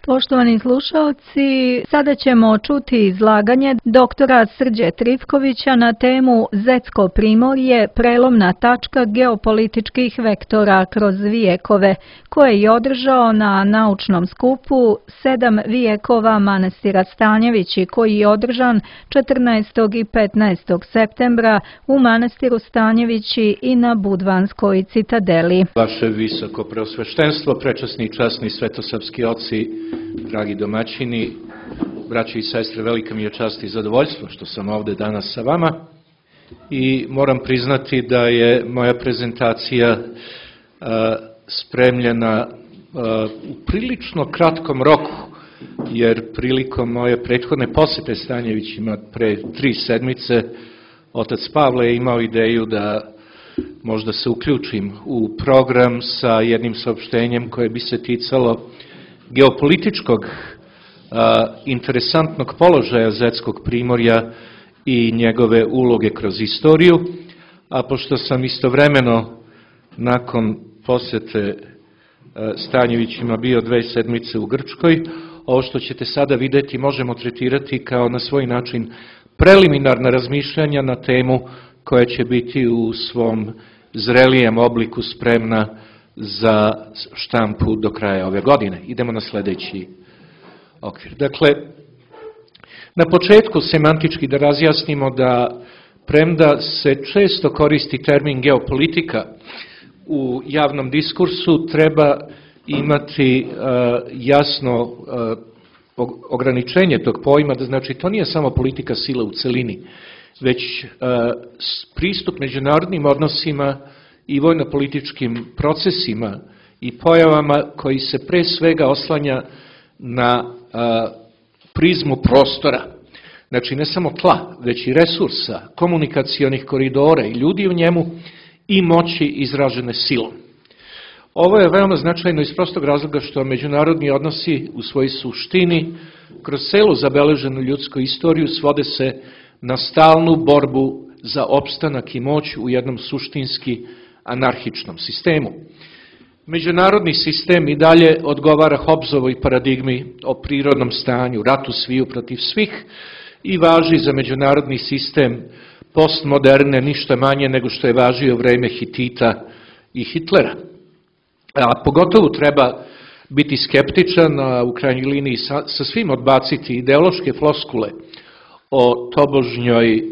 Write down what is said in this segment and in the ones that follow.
Poštovani slušalci, sada ćemo čuti izlaganje doktora Srđe Trifkovića na temu Zetsko primorje, prelomna tačka geopolitičkih vektora kroz vijekove, koje je održao na naučnom skupu 7 vijekova manastira Stanjevići, koji je održan 14. i 15. septembra u manastiru Stanjevići i na Budvanskoj citadeli. Vaše visoko preosveštenstvo, prečasni i časni svetosavski oci, dragi domaćini, braći i sestre, velika mi je čast i zadovoljstvo što sam ovde danas sa vama i moram priznati da je moja prezentacija spremljena u prilično kratkom roku, jer prilikom moje prethodne posete Stanjevićima pre 3 sedmice, otac Pavle je imao ideju da možda se uključim u program sa jednim saopštenjem koje bi se ticalo geopolitičkog interesantnog položaja Zetskog primorja i njegove uloge kroz istoriju, a pošto sam istovremeno nakon posete Stanjevićima bio 2 sedmice u Grčkoj, ovo što ćete sada videti možemo tretirati kao na svoj način preliminarna razmišljanja na temu koja će biti u svom zrelijem obliku spremna za štampu do kraja ove godine. Idemo na sledeći okvir. Dakle, na početku semantički da razjasnimo da premda se često koristi termin geopolitika u javnom diskursu, treba imati jasno ograničenje tog pojma, da znači to nije samo politika sile u celini, već pristup međunarodnim odnosima i vojno-političkim procesima i pojavama koji se pre svega oslanja na prizmu prostora. Znači ne samo tla, već i resursa, komunikacionih koridora i ljudi u njemu i moći izražene silom. Ovo je veoma značajno iz prostog razloga što međunarodni odnosi u svojoj suštini kroz celu zabeleženu ljudsku istoriju svode se na stalnu borbu za opstanak i moć u jednom suštinski anarhičnom sistemu. Međunarodni sistem i dalje odgovara Hobbesovoj paradigmi o prirodnom stanju, ratu sviju protiv svih i važi za međunarodni sistem postmoderne ništa manje nego što je važio vreme Hitita i Hitlera. A pogotovo treba biti skeptičan, a u krajnjoj liniji sa svim odbaciti ideološke floskule o tobožnjoj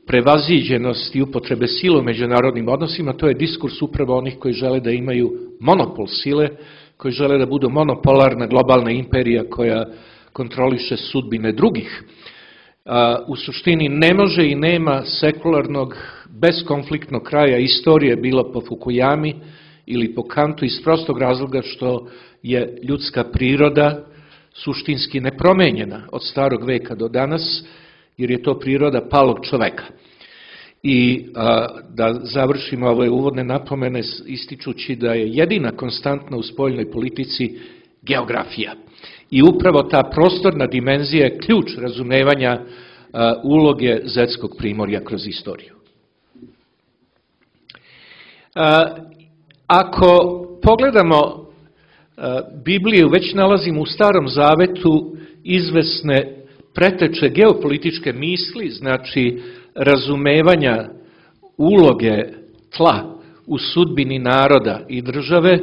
prevaziđenosti upotrebe sile u međunarodnim odnosima. To je diskurs upravo onih koji žele da imaju monopol sile, koji žele da budu monopolarna globalna imperija koja kontroliše sudbine drugih. U suštini ne može i nema sekularnog, beskonfliktnog kraja istorije, bilo po Fukuyami ili po Kantu, iz prostog razloga što je ljudska priroda suštinski nepromenjena od starog veka do danas, jer je to priroda palog čoveka. I da završimo ove uvodne napomene ističući da je jedina konstantna u spoljnoj politici geografija. I upravo ta prostorna dimenzija je ključ razumevanja uloge Zetskog primorja kroz istoriju. Ako pogledamo Bibliju, već nalazimo u Starom Zavetu izvesne preteče geopolitičke misli, znači razumevanja uloge tla u sudbini naroda i države,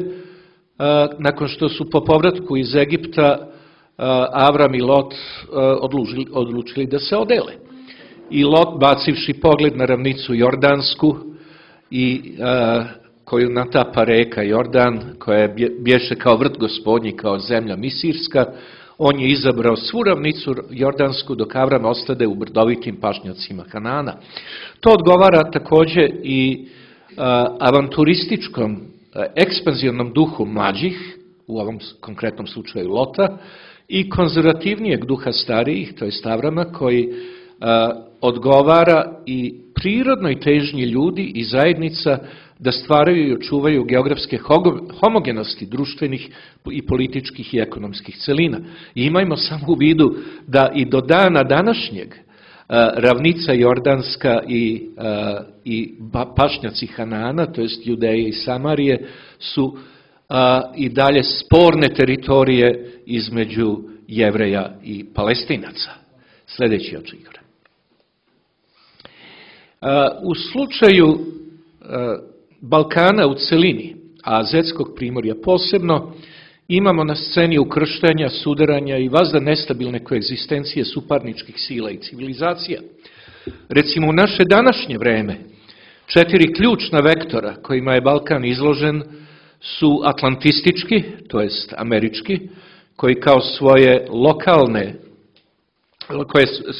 nakon što su po povratku iz Egipta Avram i Lot odlučili da se odele. I Lot, bacivši pogled na ravnicu Jordansku i koju natapa reka Jordan, koja bješe kao vrt gospodnji, kao zemlja misirska, on je izabrao svu ravnicu Jordansku, dok Avram ostade u brdovitim pašnjacima Kanana. To odgovara takođe i avanturističkom, ekspanzivnom duhu mlađih, u ovom konkretnom slučaju Lota, i konzervativnijeg duha starijih, to je Avrama, koji odgovara i prirodnoj težnji ljudi i zajednica da stvaraju i očuvaju geografske homogenosti društvenih i političkih i ekonomskih celina. I imajmo samo u vidu da i do dana današnjeg ravnica Jordanska i pašnjaci Hanana, to jest Judeje i Samarije, su i dalje sporne teritorije između Jevreja i Palestinaca. Sljedeći odgovor. U slučaju Balkana u celini, a Zetskog primorja posebno, imamo na sceni ukrštanja, sudaranja i vazda nestabilne koegzistencije suparničkih sila i civilizacija. Recimo u naše današnje vreme, 4 ključna vektora kojima je Balkan izložen su atlantistički, to jest američki, koji kao svoje lokalne,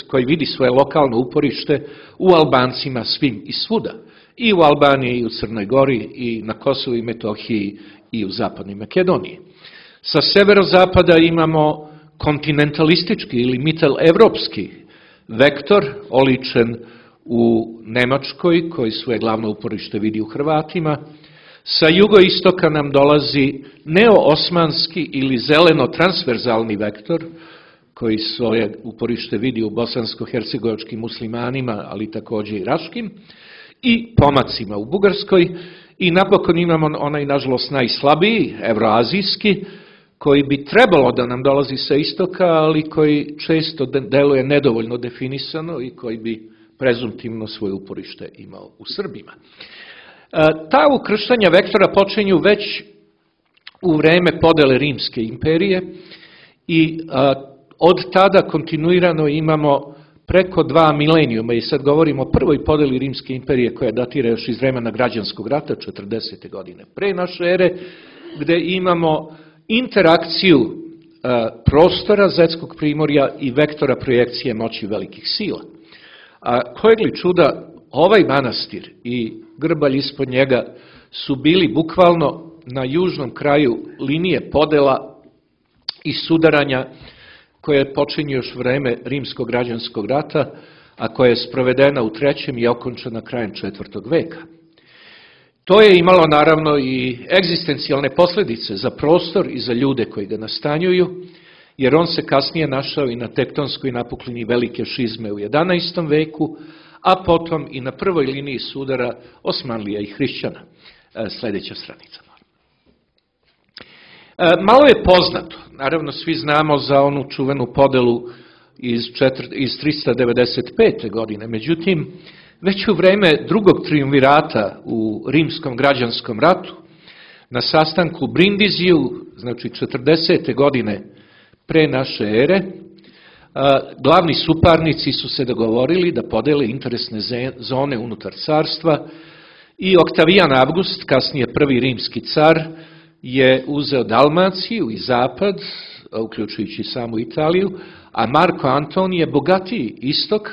koji vidi svoje lokalno uporište u Albancima svim i svuda. I u Albaniji, i u Crnoj Gori, i na Kosovu i Metohiji, i u Zapadnoj Makedoniji. Sa severozapada imamo kontinentalistički ili mitel-evropski vektor, oličen u Nemačkoj, koji svoje glavno uporište vidi u Hrvatima. Sa jugoistoka nam dolazi neo-osmanski ili zeleno-transverzalni vektor, koji svoje uporište vidi u bosansko-hercegovačkim muslimanima, ali također i raškim, i pomacima u Bugarskoj. I napokon imamo onaj, nažalost, najslabiji, evroazijski, koji bi trebalo da nam dolazi sa istoka, ali koji često deluje nedovoljno definisano i koji bi prezumtivno svoje uporište imao u Srbima. Ta ukrštanja vektora počinju već u vreme podele Rimske imperije i od tada kontinuirano imamo preko 2 milenijuma, i sad govorimo o prvoj podeli Rimske imperije koja datira još iz vremena građanskog rata, 40. godine pre naše ere, gde imamo interakciju prostora Zetskog primorja i vektora projekcije moći velikih sila. A kojeg li čuda, ovaj manastir i grbalj ispod njega su bili bukvalno na južnom kraju linije podela i sudaranja koje počinje još vreme Rimskog građanskog rata, a koja je sprovedena u 3. i okončana krajem 4. veka. To je imalo naravno i egzistencijalne posljedice za prostor i za ljude koji ga nastanjuju, jer on se kasnije našao i na tektonskoj napuklini velike šizme u 11. veku, a potom i na prvoj liniji sudara Osmanlija i hrišćana. Sljedeća stranica. Malo je poznato, naravno svi znamo za onu čuvenu podelu iz 395. godine, međutim, već u vreme drugog triumvirata u Rimskom građanskom ratu, na sastanku Brindiziju, znači 40. godine pre naše ere, glavni suparnici su se dogovorili da podele interesne zone unutar carstva i Oktavijan Avgust, kasnije prvi rimski car, je uzeo Dalmaciju i zapad, uključujući samu Italiju, a Marko Antonije bogatiji istok,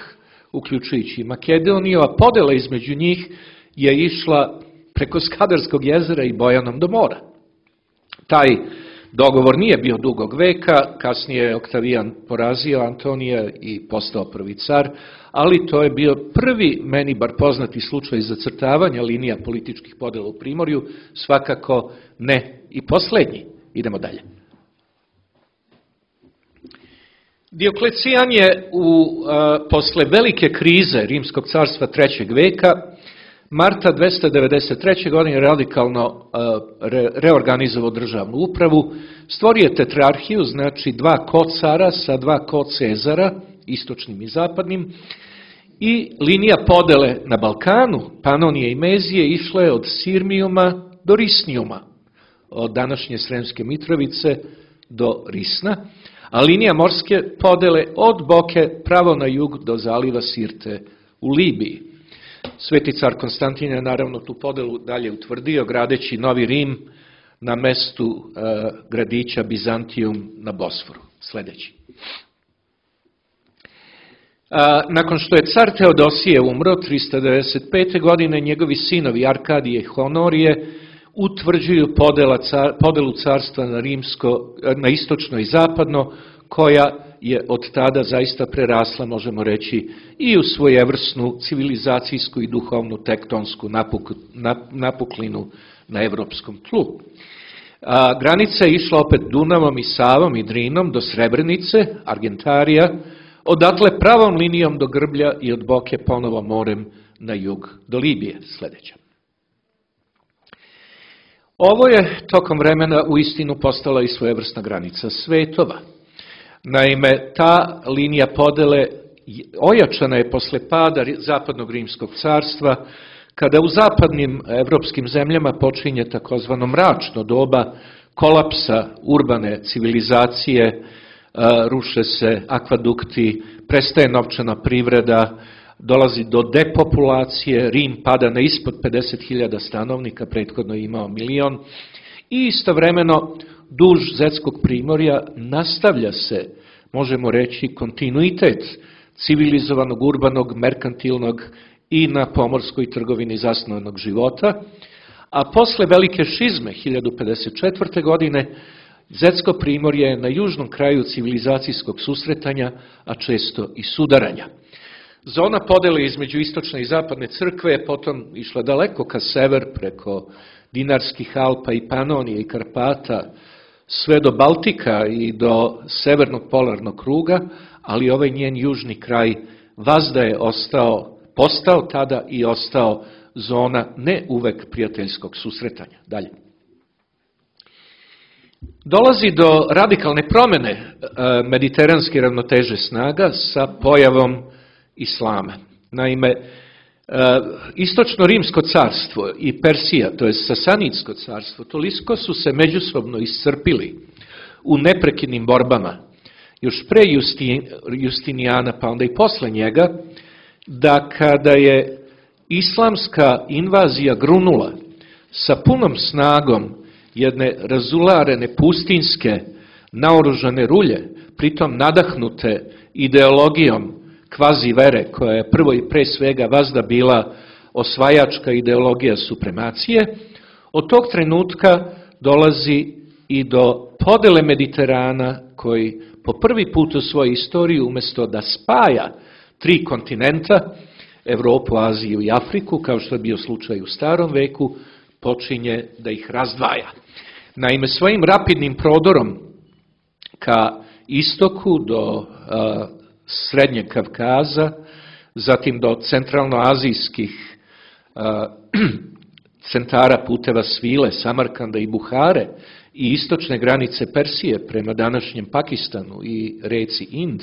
uključujući Makedoniju, a podela između njih je išla preko Skadarskog jezera i Bojanom do mora. Taj dogovor nije bio dugog veka, kasnije je Oktavijan porazio Antonija i postao prvi car, ali to je bio prvi, meni bar poznati slučaj zacrtavanja linija političkih podela u Primorju, svakako ne i posljednji. Idemo dalje. Dioklecijan je posle velike krize Rimskog carstva 3. veka, marta 293. godine radikalno reorganizovao državnu upravu, stvorio tetrarhiju, znači 2 kocara sa 2 kocezara, istočnim i zapadnim, i linija podele na Balkanu, Panonije i Mezije, išla je od Sirmijuma do Risnijuma, od današnje Sremske Mitrovice do Risna, a linija morske podele od Boke pravo na jug do zaliva Sirte u Libiji. Sveti car Konstantin je naravno tu podelu dalje utvrdio, gradeći Novi Rim na mestu gradića Bizantijum na Bosforu. Sljedeći. Nakon što je car Teodosije umro 395. godine, njegovi sinovi Arkadije i Honorije utvrđuju podelu carstva na istočno i zapadno, koja je od tada zaista prerasla, možemo reći, i u svojevrsnu civilizacijsku i duhovnu tektonsku napuklinu na evropskom tlu. Granica je išla opet Dunavom i Savom i Drinom do Srebrenice, Argentarija, odatle pravom linijom do Grblja i od Boke ponovo morem na jug do Libije. Sljedeća. Ovo je tokom vremena uistinu postala i svojevrsna granica svetova. Naime, ta linija podele ojačana je posle pada Zapadnog rimskog carstva, kada u zapadnim evropskim zemljama počinje takozvano mračno doba kolapsa urbane civilizacije, ruše se akvadukti, prestaje novčana privreda, dolazi do depopulacije, Rim pada na ispod 50.000 stanovnika, prethodno je imao 1.000.000, i istovremeno duž Zetskog primorja nastavlja se, možemo reći, kontinuitet civilizovanog, urbanog, merkantilnog i na pomorskoj trgovini zasnovanog života, a posle velike šizme 1054. godine Zetsko primorje je na južnom kraju civilizacijskog susretanja, a često i sudaranja. Zona podele između istočne i zapadne crkve je potom išla daleko ka sever, preko Dinarskih Alpa i Panonije i Karpata, sve do Baltika i do severnog polarnog kruga, ali ovaj njen južni kraj vazda je postao tada i ostao zona ne uvek prijateljskog susretanja. Dalje. Dolazi do radikalne promene mediteranske ravnoteže snaga sa pojavom islama. Naime, istočno rimsko carstvo i Persija, to je Sasanidsko carstvo, toliko su se međusobno iscrpili u neprekidnim borbama, još pre Justinijana, pa onda i posle njega, da kada je islamska invazija grunula sa punom snagom jedne razularene pustinske naoružane rulje, pritom nadahnute ideologijom kvazi vere, koja je prvo i pre svega vazda bila osvajačka ideologija supremacije, od tog trenutka dolazi i do podele Mediterana, koji po prvi put u svojoj istoriji, umjesto da spaja 3 kontinenta, Evropu, Aziju i Afriku, kao što je bio slučaj u starom veku, počinje da ih razdvaja. Naime, svojim rapidnim prodorom ka istoku do Srednjeg Kavkaza, zatim do centralnoazijskih centara puteva svile, Samarkanda i Buhare i istočne granice Persije prema današnjem Pakistanu i reci Ind,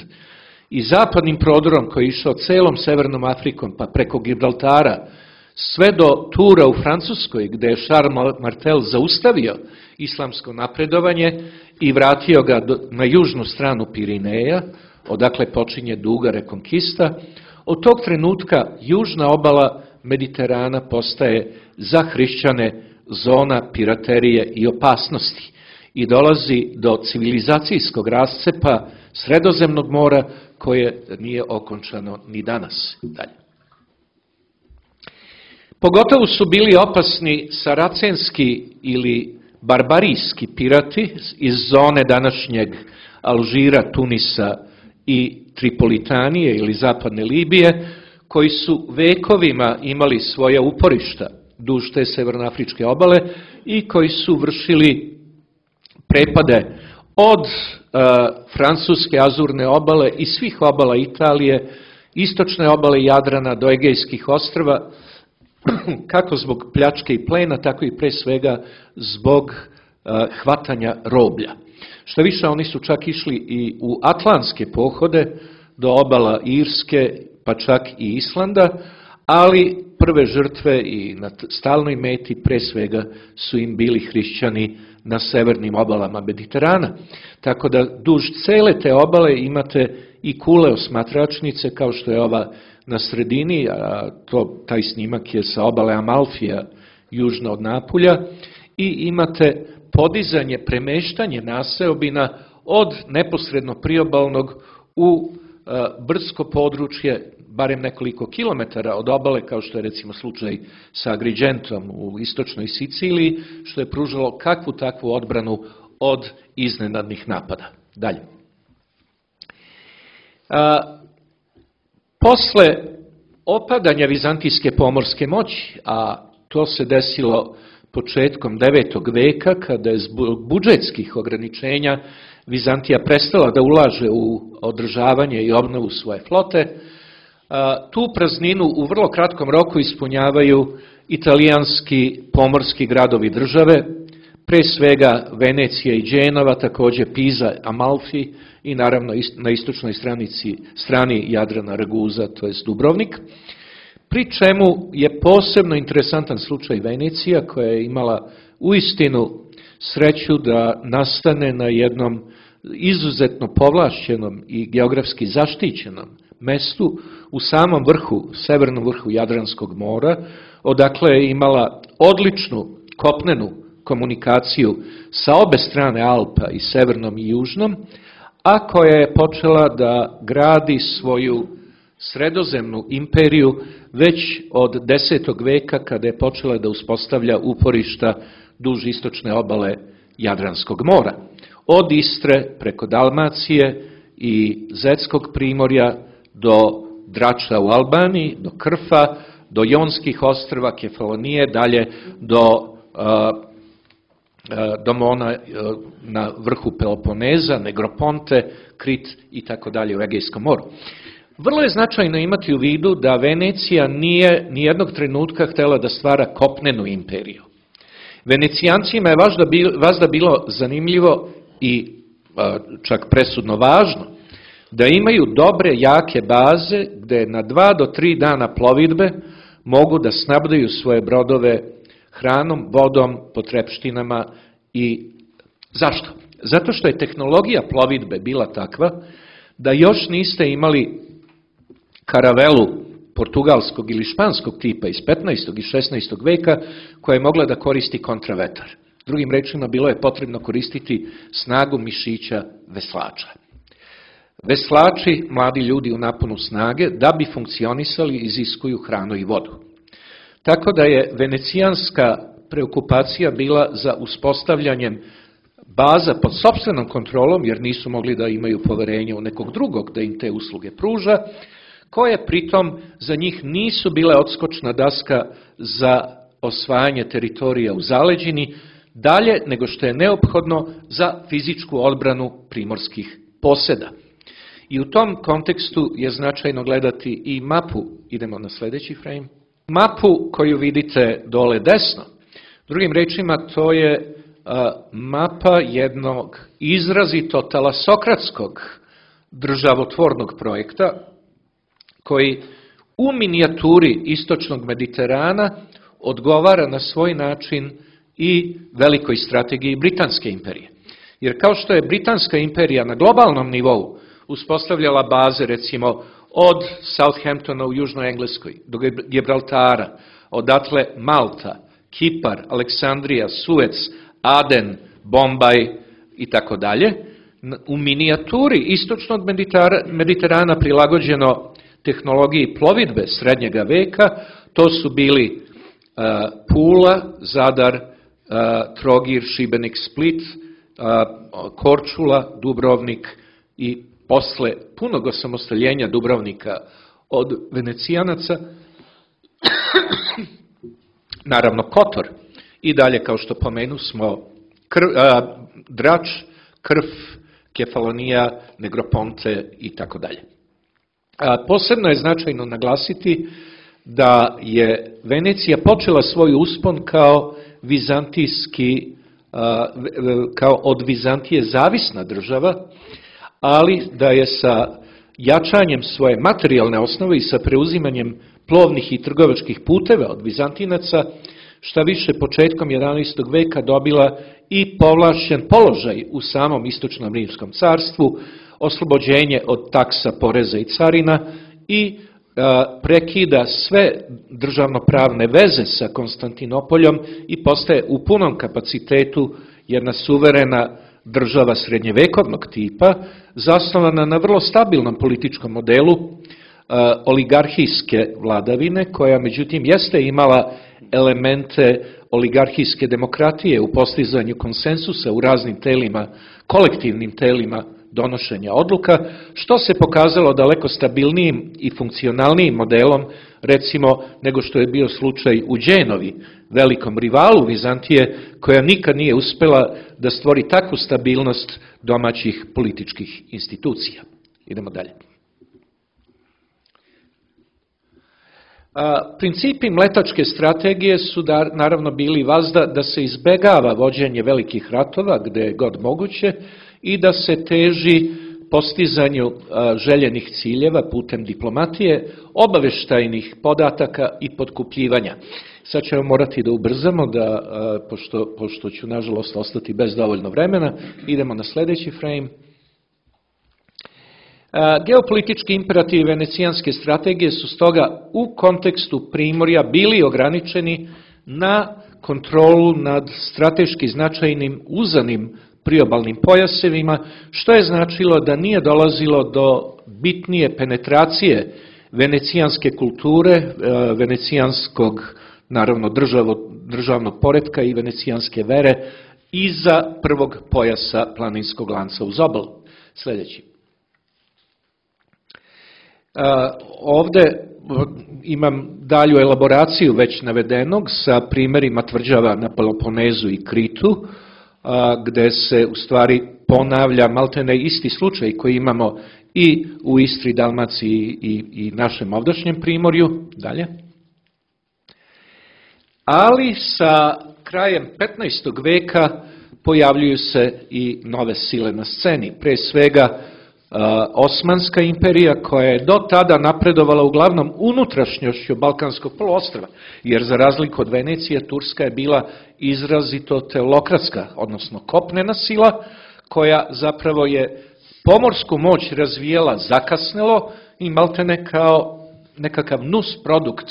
i zapadnim prodorom koji je išao celom Severnom Afrikom pa preko Gibraltara sve do Tura u Francuskoj, gde je Charles Martel zaustavio islamsko napredovanje i vratio ga na južnu stranu Pirineja, odakle počinje duga rekonkista. Od tog trenutka južna obala Mediterana postaje za hrišćane zona piraterije i opasnosti i dolazi do civilizacijskog rascepa Sredozemnog mora, koje nije okončano ni danas. Dalje. Pogotovo su bili opasni saracenski ili barbarijski pirati iz zone današnjeg Alžira, Tunisa i Tripolitanije ili zapadne Libije, koji su vekovima imali svoja uporišta duž te severnoafričke obale i koji su vršili prepade od francuske azurne obale i svih obala Italije, istočne obale Jadrana do Egejskih ostrva, kako zbog pljačke i plena, tako i pre svega zbog hvatanja roblja. Što više, oni su čak išli i u atlantske pohode do obala Irske, pa čak i Islanda, ali prve žrtve i na stalnoj meti pre svega su im bili hrišćani na severnim obalama Mediterana. Tako da duž cele te obale imate i kule osmatračnice, kao što je ova na sredini, a taj snimak je sa obale Amalfija, južno od Napulja, i imate podizanje, premeštanje naseobina od neposredno priobalnog u brdsko područje, barem nekoliko kilometara od obale, kao što je recimo slučaj sa Agrigentom u istočnoj Siciliji, što je pružalo kakvu takvu odbranu od iznenadnih napada. Dalje. Posle opadanja vizantijske pomorske moći, a to se desilo početkom 9. veka, kada je zbog budžetskih ograničenja Vizantija prestala da ulaže u održavanje i obnovu svoje flote, tu prazninu u vrlo kratkom roku ispunjavaju italijanski pomorski gradovi države, pre svega Venecija i Dženova, također Pisa, Amalfi i naravno na istočnoj strani Jadrana Raguza, to jest Dubrovnik. Pri čemu je posebno interesantan slučaj Venecija, koja je imala uistinu sreću da nastane na jednom izuzetno povlašćenom i geografski zaštićenom mestu u samom vrhu, severnom vrhu Jadranskog mora, odakle je imala odličnu kopnenu komunikaciju sa obe strane Alpa, i severnom i južnom, a koja je počela da gradi svoju sredozemnu imperiju već od 10. veka, kada je počela da uspostavlja uporišta duž istočne obale Jadranskog mora. Od Istre preko Dalmacije i Zetskog primorja do Drača u Albaniji, do Krfa, do Jonskih ostrva, Kefalonije, dalje do Mona na vrhu Peloponeza, Negroponte, Krit i tako dalje u Egejskom moru. Vrlo je značajno imati u vidu da Venecija nije nijednog trenutka htjela da stvara kopnenu imperiju. Venecijancima je vazda bilo zanimljivo i čak presudno važno da imaju dobre, jake baze gde na 2 do 3 dana plovidbe mogu da snabdaju svoje brodove hranom, vodom, potrepštinama. I zašto? Zato što je tehnologija plovidbe bila takva da još niste imali karavelu portugalskog ili španskog tipa iz 15. i 16. veka koja je mogla da koristi kontravetar. Drugim rečima, bilo je potrebno koristiti snagu mišića veslača. Veslači, mladi ljudi u naponu snage, da bi funkcionisali, iziskuju hranu i vodu. Tako da je venecijanska preokupacija bila za uspostavljanjem baza pod sopstvenom kontrolom, jer nisu mogli da imaju poverenje u nekog drugog da im te usluge pruža, koje pritom za njih nisu bile odskočna daska za osvajanje teritorija u zaleđini, dalje nego što je neophodno za fizičku odbranu primorskih poseda. I u tom kontekstu je značajno gledati i mapu, idemo na sljedeći frame, mapu koju vidite dole desno. Drugim rečima, to je mapa jednog izrazito talasokratskog državotvornog projekta, koji u minijaturi istočnog Mediterana odgovara na svoj način i velikoj strategiji Britanske imperije. Jer kao što je Britanska imperija na globalnom nivou uspostavljala baze, recimo, od Southamptona u Južnoj Engleskoj do Gibraltara, odatle Malta, Kipar, Aleksandrija, Suec, Aden, Bombaj i tako dalje, u minijaturi istočnog Mediterana prilagođeno tehnologiji plovidbe srednjega veka, to su bili Pula, Zadar, Trogir, Šibenik, Split, Korčula, Dubrovnik i posle punog osamostaljenja Dubrovnika od Venecijanaca, naravno Kotor i dalje, kao što pomenu smo, Drač, Krf, Kefalonija, Negroponte i tako dalje. Posebno je značajno naglasiti da je Venecija počela svoj uspon kao od Vizantije zavisna država, ali da je sa jačanjem svoje materijalne osnove i sa preuzimanjem plovnih i trgovačkih puteva od Vizantinaca, šta više početkom 11. veka dobila i povlašćen položaj u samom istočnom rimskom carstvu, oslobođenje od taksa, poreza i carina i prekida sve državnopravne veze sa Konstantinopoljom i postaje u punom kapacitetu jedna suverena država srednjevekovnog tipa, zasnovana na vrlo stabilnom političkom modelu oligarhijske vladavine, koja međutim jeste imala elemente oligarhijske demokratije u postizanju konsensusa u raznim telima, kolektivnim telima donošenja odluka, što se pokazalo daleko stabilnijim i funkcionalnijim modelom, recimo, nego što je bio slučaj u Dženovi, velikom rivalu Vizantije, koja nikad nije uspela da stvori takvu stabilnost domaćih političkih institucija. Idemo dalje. Principi mletačke strategije su naravno bili vazda da se izbegava vođenje velikih ratova gde je god moguće i da se teži postizanju željenih ciljeva putem diplomatije, obaveštajnih podataka i potkupljivanja. Sad ćemo morati da ubrzamo, pošto ću nažalost ostati bez dovoljno vremena. Idemo na sljedeći frame. Geopolitički imperativi venecijanske strategije su stoga u kontekstu Primorja bili ograničeni na kontrolu nad strateški značajnim uzanim priobalnim pojasevima, što je značilo da nije dolazilo do bitnije penetracije venecijanske kulture, venecijanskog, naravno, državnog poretka i venecijanske vere iza prvog pojasa planinskog lanca uz obalu. Sljedeći. Ovde imam dalju elaboraciju već navedenog sa primjerima tvrđava na Peloponezu i Kritu, gde se u stvari ponavlja maltene isti slučaj koji imamo i u Istri, Dalmaciji i našem ovdašnjem Primorju. Dalje. Ali sa krajem 15. veka pojavljuju se i nove sile na sceni. Pre svega Osmanska imperija, koja je do tada napredovala uglavnom unutrašnjošću Balkanskog poluostrva, jer za razliku od Venecije, Turska je bila izrazito teolokratska, odnosno kopnena sila, koja zapravo je pomorsku moć razvijela zakasnelo i maltene kao nekakav nus produkt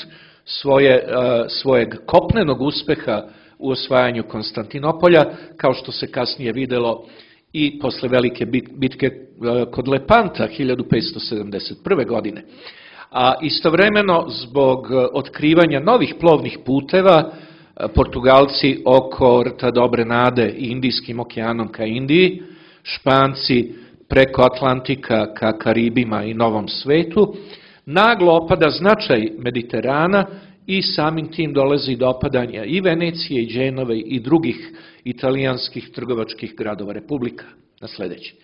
svojeg kopnenog uspeha u osvajanju Konstantinopolja, kao što se kasnije videlo i posle velike bitke kod Lepanta 1571. godine. A istovremeno, zbog otkrivanja novih plovnih puteva, Portugalci oko rta Dobre Nade i Indijskim okeanom ka Indiji, Španci preko Atlantika ka Karibima i Novom svetu, naglo opada značaj Mediterana i samim tim dolazi do opadanja i Venecije, i Dženove i drugih italijanskih trgovačkih gradova republika. Na sljedeći.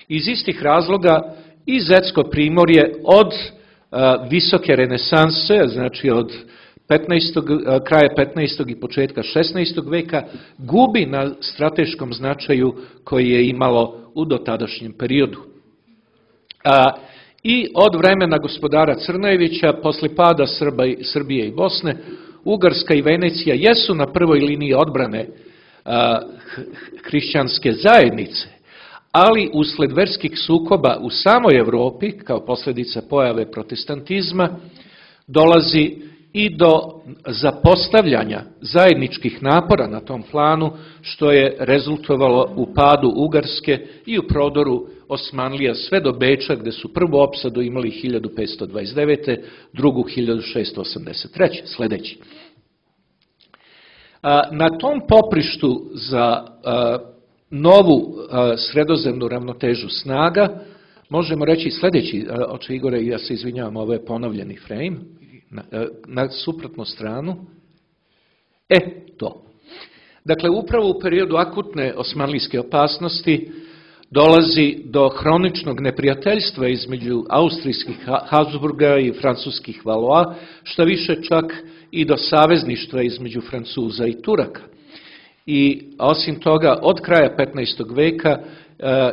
Iz istih razloga i Zetsko Primorje od visoke renesanse, znači od kraja 15. i početka 16. veka, gubi na strateškom značaju koji je imalo u dotadašnjem periodu. I od vremena gospodara Crnojevića, posle pada Srbije i Bosne, Ugarska i Venecija jesu na prvoj liniji odbrane hrišćanske zajednice, ali usled verskih sukoba u samoj Evropi, kao posljedica pojave protestantizma, dolazi i do zapostavljanja zajedničkih napora na tom planu, što je rezultovalo u padu Ugarske i u prodoru Osmanlija sve do Beča, gde su prvu opsadu imali 1529. drugu 1683. Sljedeći. Na tom poprištu za novu sredozemnu ravnotežu snaga možemo reći sljedeći, oče Igore, ja se izvinjavam, ovo je ponovljeni frame, na suprotnu stranu. To. Dakle, upravo u periodu akutne osmanlijske opasnosti dolazi do hroničnog neprijateljstva između austrijskih Habsburga i francuskih Valois, što više čak i do savezništva između Francuza i Turaka. I osim toga, od kraja 15. veka,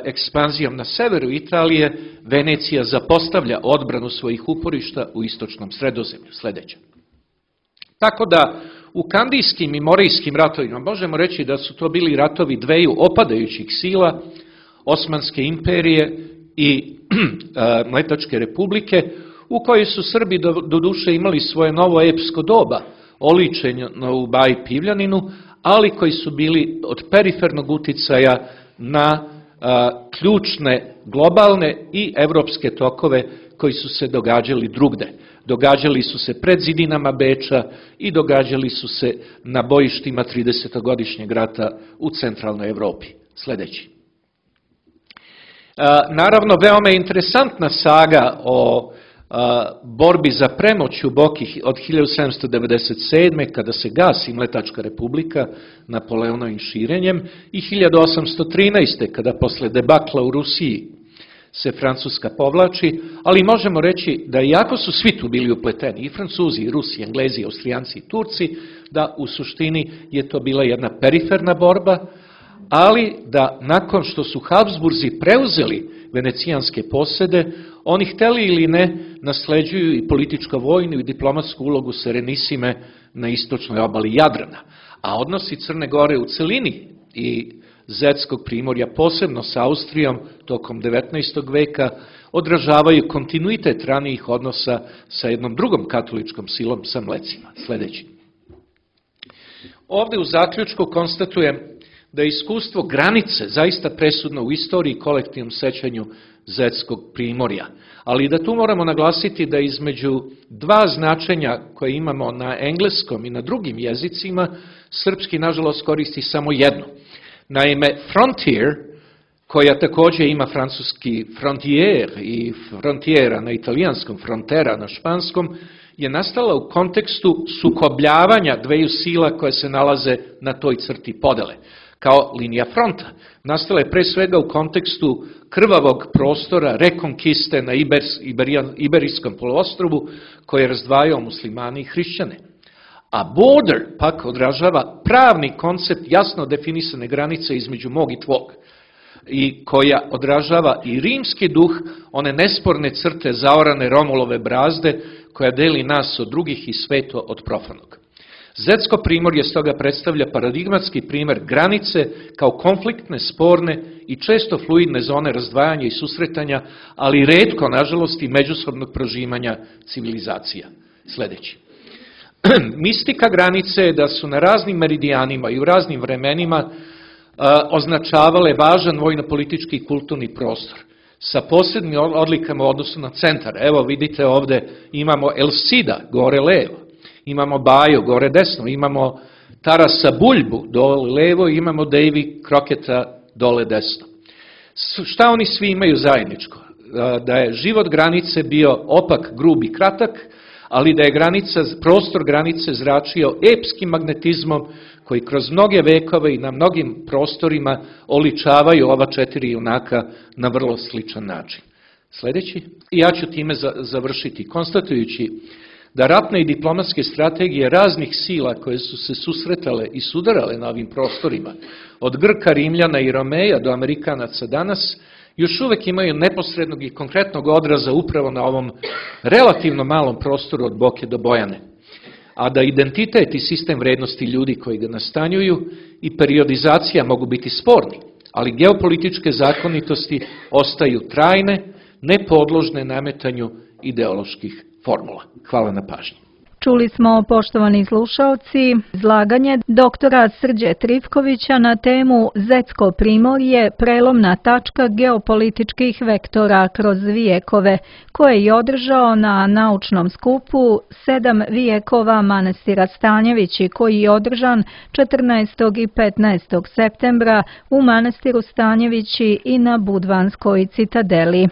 ekspanzijom na severu Italije, Venecija zapostavlja odbranu svojih uporišta u istočnom Sredozemlju. Sljedeća. Tako da, u Kandijskim i Morijskim ratovima možemo reći da su to bili ratovi dveju opadajućih sila, Osmanske imperije i Mletačke republike, u kojoj su Srbi doduše imali svoje novo epsko doba, oličeno u Baji Pivljaninu, ali koji su bili od perifernog uticaja na ključne globalne i evropske tokove koji su se događali drugde. Događali su se pred zidinama Beča i događali su se na bojištima 30-godišnjeg rata u centralnoj Evropi. Sljedeći. Naravno, veoma je interesantna saga o borbi za premoć u Boki od 1797. kada se gasi Mletačka republika Napoleonovim širenjem i 1813. kada posle debakla u Rusiji se Francuska povlači, ali možemo reći da iako su svi tu bili upleteni, i Francuzi, i Rusi, i Englezi, i Austrijanci, i Turci, da u suštini je to bila jedna periferna borba, ali da nakon što su Habsburzi preuzeli venecijanske posede, oni hteli ili ne nasleđuju i političko-vojnu i diplomatsku ulogu Serenissime na istočnoj obali Jadrana. A odnosi Crne Gore u celini i Zetskog primorja, posebno sa Austrijom tokom 19. veka, odražavaju kontinuitet ranijih odnosa sa jednom drugom katoličkom silom, sa Mlecima. Sljedeći. Ovde u zaključku konstatujem da je iskustvo granice zaista presudno u istoriji i kolektivnom sećanju Zetskog primorja. Ali da tu moramo naglasiti da između dva značenja koje imamo na engleskom i na drugim jezicima, srpski nažalost koristi samo jedno. Naime, frontier, koja također ima francuski frontier i frontiera na italijanskom, frontera na španskom, je nastala u kontekstu sukobljavanja dveju sila koje se nalaze na toj crti podele, kao linija fronta. Nastala je pre svega u kontekstu krvavog prostora rekonkiste na Iberijskom poluostrvu koje je razdvajao muslimane i hrišćane. A border pak odražava pravni koncept jasno definisane granice između mog i tvog, i koja odražava i rimski duh, one nesporne crte zaorane Romulove brazde koja deli nas od drugih i sveto od profanog. Zetsko primorje stoga predstavlja paradigmatski primer granice kao konfliktne, sporne i često fluidne zone razdvajanja i susretanja, ali retko, nažalost, i međusobnog prožimanja civilizacija. Sljedeći. Mistika granice je da su na raznim meridijanima i u raznim vremenima označavale važan vojno-politički i kulturni prostor sa posebnim odlikama u odnosu na centar. Evo vidite ovde imamo El Cida, gore levo, imamo Bajo, gore desno, imamo Tarasa Buljbu, dole levo, i imamo Davy Crockett'a, dole desno. Šta oni svi imaju zajedničko? Da je život granice bio opak, grub i kratak, ali da je prostor granice zračio epskim magnetizmom koji kroz mnoge vekove i na mnogim prostorima oličavaju ova četiri junaka na vrlo sličan način. Sljedeći. I ja ću time završiti, konstatujući da ratne i diplomatske strategije raznih sila koje su se susretale i sudarale na ovim prostorima, od Grka, Rimljana i Romeja do Amerikanaca danas, još uvek imaju neposrednog i konkretnog odraza upravo na ovom relativno malom prostoru od Boke do Bojane. A da identitet i sistem vrednosti ljudi koji ga nastanjuju i periodizacija mogu biti sporni, ali geopolitičke zakonitosti ostaju trajne, nepodložne nametanju ideoloških formula. Hvala na pažnji. Čuli smo, poštovani slušaoci, izlaganje doktora Srđe Trifkovića na temu Zetsko primorje, prelomna tačka geopolitičkih vektora kroz vijekove, koje je održao na naučnom skupu 7 vijekova manastira Stanjevići, koji je održan 14. i 15. septembra u manastiru Stanjevići i na Budvanskoj citadeli.